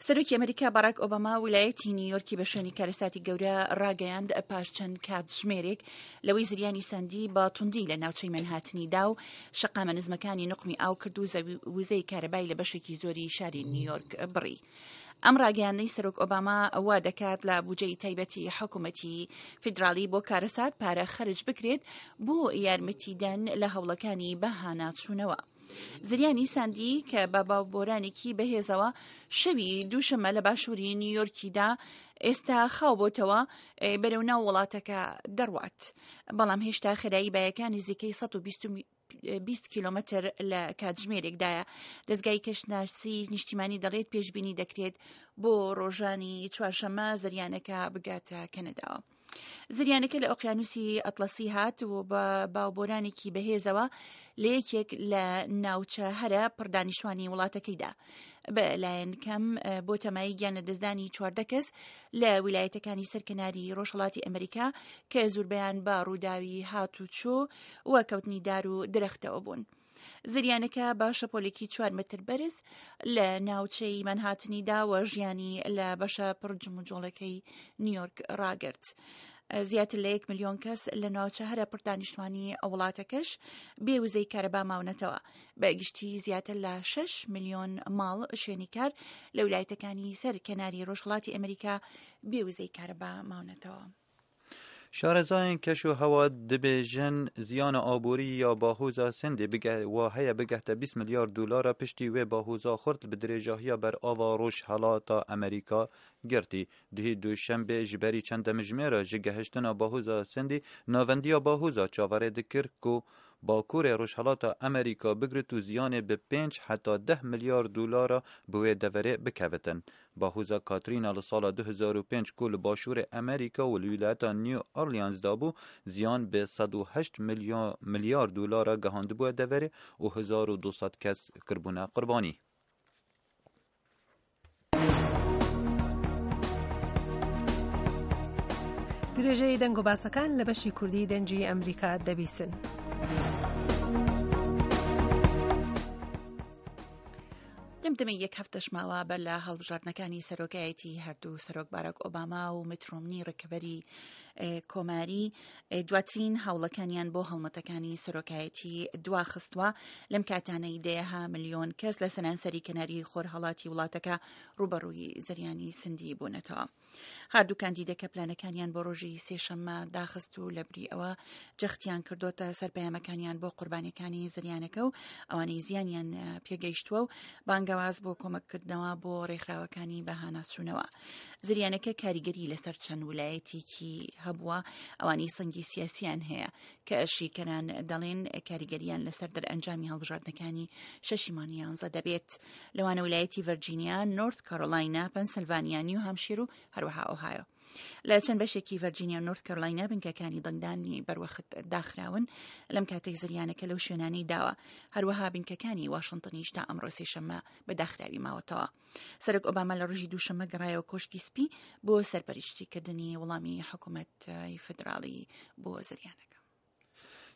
سەرۆکی ئەمریکا باراک ئۆباما ویلایەتی نیویۆرکی بە شوێنی کارەساتی گەورە ڕاگەیاند پاش چەند کاتژمێرێک لەوەی زریانی سەندی بە توندی لە ناوچەی مەنهاتنی دا و شەقامە نزمەکانی نوقمی ئاو کرد و وزەی کارەبای لە بەشێکی زۆری شاری نیویۆرک بڕی. ئەم ڕاگەیاندنەی سەرۆک ئۆباما وا دەکات لە بودجەی تایبەتی حکوومەتی فیدراڵی بۆ کارەسات پارە خەرج بکرێت بۆ یارمەتیدان لە هەوڵەکانی بە هاناچوونەوە. زریانی ساندی کە بە باوبۆرانێکی بەهێزەوە شەوی دووشەممە لە باشووری نیویۆرکیدا ئێستا خاو بۆتەوە بەرەو ناو وڵاتەکە دەڕوات بەڵام هێشتا خێرایی بایەکان نزیکەی 120 کیلۆمەتر لە کاتژمێرێکدایە دەستگای کەشناسی نیشتیمانی دەڵێت پێشبینی دەکرێت بۆ ڕۆژانی چوارشەممە زریانەکە بگاتە کەنەداوە. زریانەکە لە ئۆقیانوسی ئەتڵەسی هات و بە باوبۆرانێکی بەهێزەوە لە یەکێک لە ناوچە هەرە پڕدانیشتوانی وڵاتەکەیدا بە لایەن کەم بۆ تەمایی گیان لە دەستدانی 14 کەس لە ویلایەتەکانی سەرکەناری ڕۆژهڵاتی ئەمریکا کە زوربیان بە ڕووداوی هاتوچۆ و کەوتنی دار و درەختەوە بوون. زریانەکە بە شەپۆلێکی چوار مەتر بەرز لە ناوچەی مەنهاتنی دا و ژیانی لە بەشە پڕ جموجۆڵەکەی نیویۆرک ڕاگرت. زیاتر لە یەک ملیۆن کەس لە ناوچە هەرە پڕدانیشتوانی وڵاتەکەش بێ وزەی کارەبا ماونەتەوە. بە گشتی زیاتر لە 6 ملیۆن ماڵ شوێنی کار لە ولایەتەکانی سەر کەناری ڕۆژهەڵاتی ئەمریکا بێ وزەی کارەبا ماونەتەوە. شارەزایان کەش و هەوا دبێژن زیانە ئابووری یا باهۆزا سندی وا هەیە بگەهتە 20 ملیار دۆلارە پشتی وێ باهۆزا خورت bi درێژاهیە بەر ئاوا ڕۆژهەڵاتا ئەمریکا گرتی. دهی دوشەنبێ ji berî çend demijmêra ji gehiştina bahoza Sindî navendiya bahoza çaverê dikir ku bakurê rojhilata Amerîka bigrit û ziyanê bi pênc heta deh milyar dolara bi wê deverê bikevitin. Bahoza Katrina li sala 2005 ku li başûrê Amerîka û li wîlayeta New Orleans dabû ziyan bi 108 milyar dolara gihandibûye deverê û 1200 kes kiribûne qurbanî. درێژەی دەنگ و باسەکان لە بەشی کوردی دەنگی ئەمریکا دەبیسن. لەم دەمەی یەک هەفتەش ماوە بەر لە هەڵبژاردنەکانی سەرۆکایەتی هەردوو سەرۆک باراک ئۆباما و مترۆمنی ڕکەبەری کۆماری دواترین هەوڵەکانیان بۆ هەڵمەتەکانی سەرۆکایەتی دواخستووە لەم کاتانەی دەیەها ملیۆن کەس لە سەرانسەری کەناری خۆرهەڵاتی وڵاتەکە ڕوبەڕووی زریانی سندی بوونەتەوە. هەردوو کاندیدەکە پلانەکانیان بۆ ڕۆژی سێشەممە داخست و لەبری ئەوە جەختیان کردوتە سەر پەیامەکانیان بۆ قوربانیەکانی زریانەکە و ئەوانەی زیانیان پێگەیشتووە و بانگەواز بۆ کۆمەککردنەوە بۆ ڕێکخراوەکانی بەهاناچوونەوە. زریانەکە کاریگەری لەسەر چەند ولایەتێکی هەبووە ئەوانەی سەنگی سیاسیان هەیە کە شیکەران دەڵێن کاریگەریان لەسەر دەرئەنجامی هەڵبژاردنەکانی شەشی مانگی یانزە دەبێت لەوانە ولایەتی ڤەرجینیا، نۆرت کارۆلاینا، پەنسلڤانیا، نیو هامشیر و هەروەها ئۆهایۆ. لە چەند بەشێکی ڤەرجینیا و نۆرت کارۆلاینا بنکەکانی دەنگدانی بەروەخت داخراون لەم کاتێک زریانەکە لەو شوێنانەی داوە هەروەها بنکەکانی واشنتنیش تا ئەمڕۆ سێشەممە بە داخراوی ماوەتەوە. سەرۆک ئۆباما لە ڕۆژی دووشەممە گەڕایەوە کۆشکی سپی بۆ سەرپەرشتیکردنی وەڵامی حکوومەتی فیدراڵی بۆ زریانەکە.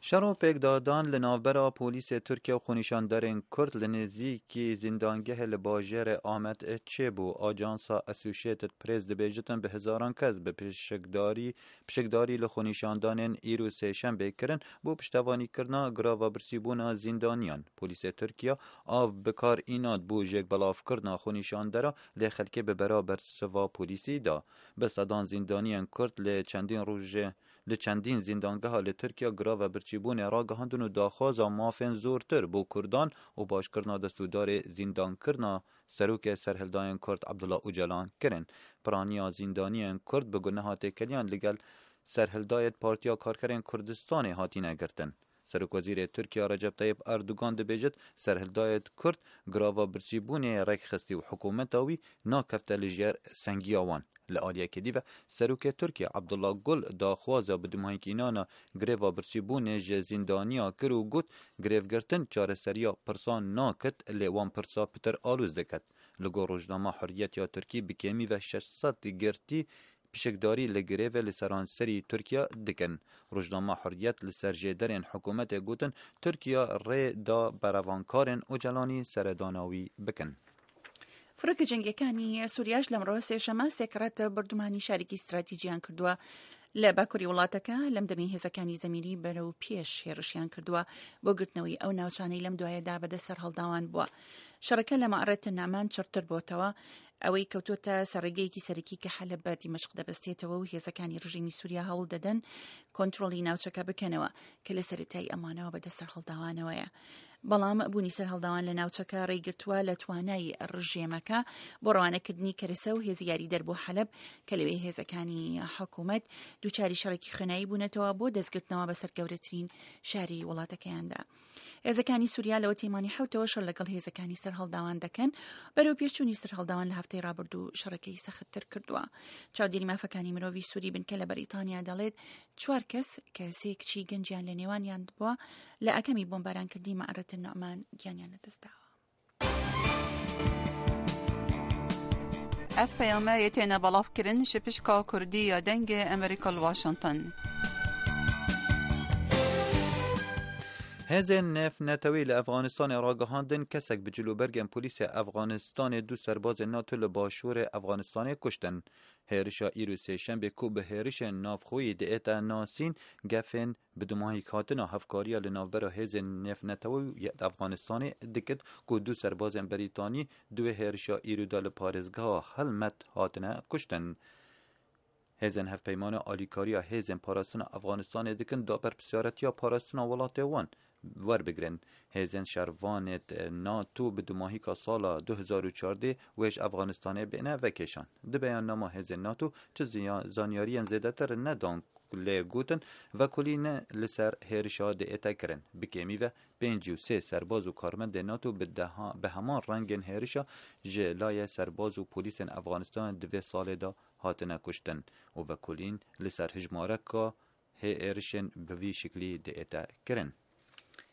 شەڕ و پێکدادان li navbera polîsê Tirkiye û xwenîşanderên Kurd li nêzîkî zîndangehê li bajêrê Amed çêbû. Ajansa Associated Press dibêjitin bi hezaran kes bi pişikdarî pişikdarî li xwenîşandanên îro sêşembê kirin bo piştevanîkirina grava birsîbûna zîndaniyan. Polîsê Tirkiye av bi kar înat bû jêkbelavkirina xwenîşandera lê xelkê bi bera bersiva polîsî da. Bi sedan zîndaniyên Kurd li çendîn rojê Li çendîn zîndangeha li Tirkiye grava birçîbûnê ragihandin û daxwaza mafên zortir bo Kurdan û başkirina destûdarê zîndankirina Serokê Serhildayên Kurd Abdullah Ocalan kirin. Piraniya zîndaniyên Kurd bi guneha têkiliyan li gel Serhildayê Partiya Karkerên Kurdistanê hatine girtin. Serokwezîrê Tirkiye Recep Tayyip Erdogan dibêjit serhildayê Kurd grava birsîbûnê rêk xistî û hikûmeta wî nakefte li jêr sengiya wan. Li aliyekê dî ve Serokê Tirkiye Abdullah Gul daxwaza bi dimahîkînana greva birsîbûnê ji zîndaniya kir û got grevgirtin çareseriya pirsan nakit lê wan pirsa pitir aloz diket. Li gor rojnama Hurriyet ya Tirkî bi kêmî ve 600 girtî Pişikdarî li grevê li seranserî Tirkiye dikin. Rojnama Hurriyet li ser jêderên hikûmetê gotin Tirkiye rê da berevankarên Ocalanî seredana wî bikin. فڕۆکە جەنگیەکانی سوریاش لەمڕۆ سێشەمە سێکڕەت بردومانی شارێکی ستراتیجیان کردووە لە باکووری وڵاتەکە لەم دەمی هێزەکانی زەمینی بەرەو پێش هێرشیان کردووە بۆ گرتنەوەی ئەو ناوچانەی لەم دوایەدا بەدەست سەرهەڵداوان بووە. شەڕەکە لە مەعرەت نەعمان چڕتر بۆتەوە ئەوەی کەوتۆتە سەر ڕێگەیەکی سەرەکی کە حەلەب بە دیمەشق دەبەستێتەوە و هێزەکانی ڕژێمی سووریا هەوڵ دەدەن کۆنترۆڵی ناوچەکە بکەنەوە کە لە سەرەتای ئەمانەوە بەدەست سەرهەڵداوانەوەیە. بەڵام بوونی سەرهەڵداوان لە ناوچەکە ڕێیگرتووە لە توانای ڕژێمەکە بۆ ڕەوانەکردنی کەرەسە و هێزی یاریدەر بۆ حەلەب کە لەوێ هێزەکانی حکوومەت دووچاری شەڕێکی خوێنایی بوونەتەوە بۆ دەستگرتنەوە بەسەر گەورەترین شاری وڵاتەکەیاندا. هێزەکانی سووریا لەوە تێمانی حوتەوە شەڕ لەگەڵ هێزەکانی سەرهەڵداوان دەکەن بەرەو پێشچوونی سەرهەڵداوان لە هەفتەی ڕابردوو شەڕەکەی سەختتر کردووە. چاودێری مافەکانی مرۆڤی سووری بنکە لە بەریتانیا دەڵێت چوار کەس کە سێ کچی گەنجیان لە نێوانیان بووە لە ئاکامی بۆمبارانکردنی مەعرەت النعمان گیانیان لەدەستداوە. Ev peyame yê têne belavkirin ji pişka Kurdî ya Dengê Amerîka li Washington. Hêzên nêvnetewî li Efxanistanê ragihandin kesek bi cilûbergên polîsê Efxanistanê du serbazên NATO li başûrê Efxanistanê kuştin. Hêrişa îro sêşembê ku bi hêrişên navxweyî diête nasîn, gefên bi dumahîkhatina hevkariya li navbera hêzên nêvnetewî yên Efxanistanê dikit ku du serbazên Brîtanî di wê hêrişa îro de li parêzgeha Helmet hatine kuştin. Hêzên hevpeymana alîkariya hêzên parastina Efxanistanê dikin da berpirsyaretiya parastina welatê wan werbigirin. Hêzên şervanê NATO bi dumahîka sala 2014 wê ji Efxanistanê bêne vekêşan. Di beyannama hêzên NATO çi zanyariyên zêdetir nedan lê gotin vekolîn li ser hêrişa diête kirin. Bi kêmî ve 53 serbaz û karmendên NATO bi bi heman rengên hêrişa ji layê serbaz û polîsên Efxanistanê di vê salê de hatine kuştin û vekolîn li ser hejmareka hê êrişên bi vî şiklî diête kirin.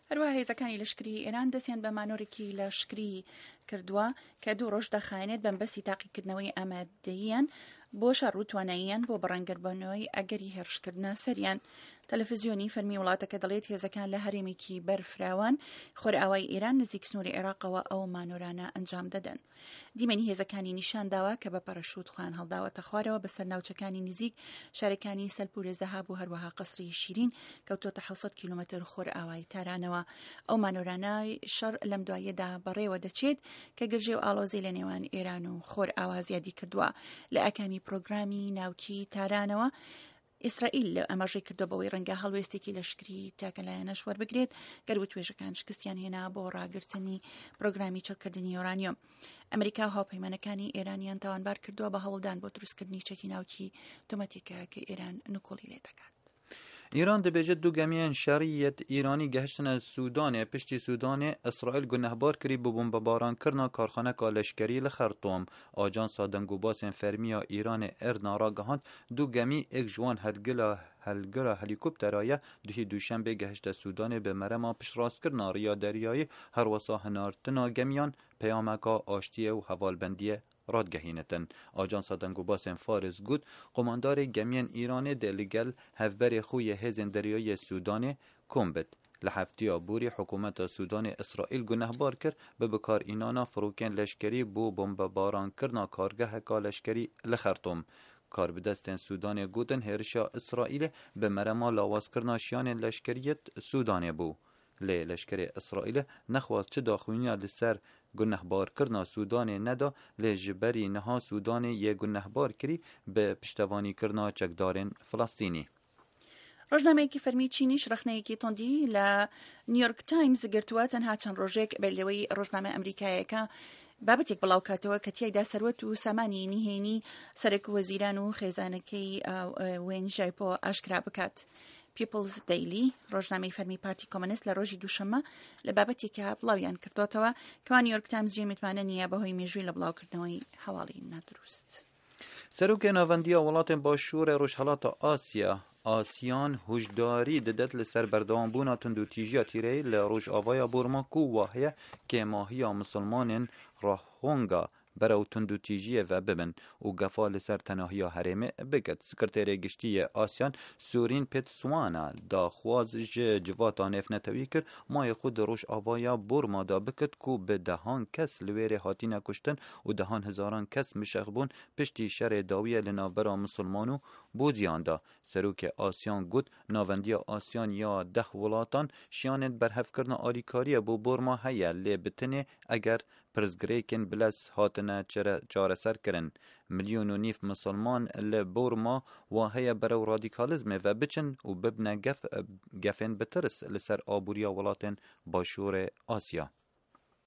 هەروەها هێزەکانی لەشکری ئێران دەستیان بە مانۆرێکی لەشکری کردووە کە دوو ڕۆژ دەخایەنێت بەمبەستی تاقیکردنەوەی ئامادەییان بۆ شەڕ و تواناییان بۆ بەڕەنگەربوونەوەی ئەگەری هێرشکردنە سەریان. تەلەفزیۆنی فەرمی وڵاتەکە دەڵێت هێزەکان لە هەرێمێکی بەرفراوان خۆرئاوای ئێران نزیک سنووری عێراقەوە ئەو مانۆرانە ئەنجام دەدەن. دیمەنی هێزەکانی نیشان داوە کە بە پەرەشوت خۆیان هەڵداوەتە خوارەوە بەسەر ناوچەکانی نزیک شارەکانی سەلپورە زەهاب و هەروەها قەسری شیرین کەوتۆتە 600 کیلومتر خۆرئاوای تارانەوە. ئەو مانۆرانە شەڕ لەم دواییەدا بەڕێوە دەچێت کە گرژی و ئاڵۆزی لە نێوان ئێران و خۆرئاوا زیادی کردووە لە ئاکامی پرۆگرامی ناوکی تارانەوە. ئیسرائیل ئاماژەی کردووە بەوەی ڕەنگە هەڵوێستێکی لەشکری تاکەلایەنەش وەربگرێت گەر وتوێژەکان شکستیان هێنا بۆ ڕاگرتنی پرۆگرامی چڕکردنی یۆرانیۆم. ئەمریکا و هاوپەیمانەکانی ئێرانیان تاوانبار کردووە بە هەوڵدان بۆ دروستکردنی چەکی ناوکی تۆمەتێکە کە ئێران نکۆڵی لێ دەکات. ئیران دەبێژێت دوو گەمیەن شەڕیەت ئیرانی گەهشتنە سودانێ پشتی سودانێ ئیسرائیل گونەهبار کری بۆ بۆمبەبارانکردنا کارخانەکا لەشکەری لە خەرتۆم. ئاجانسا دەنگوباسên فەرمی ya Îranê IRNA ragihand du gemî êk ji wan helgila helgira helîkoptera ye duhî duşembê gehişte Sûdanê bi merema piştrastkirina riya deryayî herwesa hinartina gemiyan peyameka aştiyê û hevalbendiyê radigehînitin. Ajansa Dengûbasên Faris got, Qumandarê gemiyên Îranê dê li gel hevberê xwe yê hêzên deryayî yê Sûdanê kom bit. Li hefteya borî hikûmeta Sûdanê Îsraîl gunehbar kir bi bikarînana firokên leşkerî bo bombebarankirina kargeheka leşkerî li Xertûm. Karbidestên Sûdanê gotin hêrişa Îsraîlê bi merema lawazkirina şiyanên leşkerî yê Sûdanê bû. Lê leşkerê Îsraîlê nexwast çi daxuyaniya li ser gunehbarkirina Sûdanê neda lê ji berî niha Sûdanê yê gunehbar kirî bi piştevanîkirina çekdarên Filistînî. ڕۆژنامەیەکی فەرمی چینیش ڕەخنەیەکی توندی لە نیویۆرک تایمز گرتووە تەنها چەند ڕۆژێک بەر لەوەی ڕۆژنامە ئەمریکایەکە بابەتێک بڵاوکاتەوە کە تیایدا سەروەت و سامانی نهێنی سەرەک وەزیران و خێزانەکەی وێن ژایپۆ ئاشکرا بکات. پیپڵز دەیلی ڕۆژنامەی فەرمی پارتی کۆمەنست لە ڕۆژی دووشەممە لە بابەتێکە بڵاویان کردوتەوە کەوا نیویۆرک تایمز جێ متمانە نییە بەهۆی مێژووی لە بڵاوکردنەوەی هەواڵی نادروست. سەرۆکê Navendiya Welatên Başûrê Rojhilata Asya, ASEAN, huşdarî didet li ser berdewambûna tundûtîjiya tîreyî li rojavaya Burma ku wahye kêmahiya misilmanên Rohingya. بەرەو توندوتیژییە ڤە ببن و گەفا li ser tenahiya herêmê bigirt. Sekreterê Giştî yê ASEAN Surin Pitsuwana daxwaz ji civata nêvnetewî kir mayê xwe di rojavaya Burma de bikit ku bi dehan kes li wêrê hatine kuştin û dehan hezaran kes mişex bûn piştî şerê dawiyê li navbera misilman û Bûdiyan de. Serokê ASEAN got, Navendiya ASEAN ya deh welatan şiyanên berhevkirina alîkariyê bo Burma heye lê bi tenê eger pirsgirêkên bilez hatine çareserkirin. Milyon û nîv misilman li Burma wa heye berew radîkalîzmê ve biçin û bibine gef gefên bi tirs li ser aboriya welatên başûrê Asya.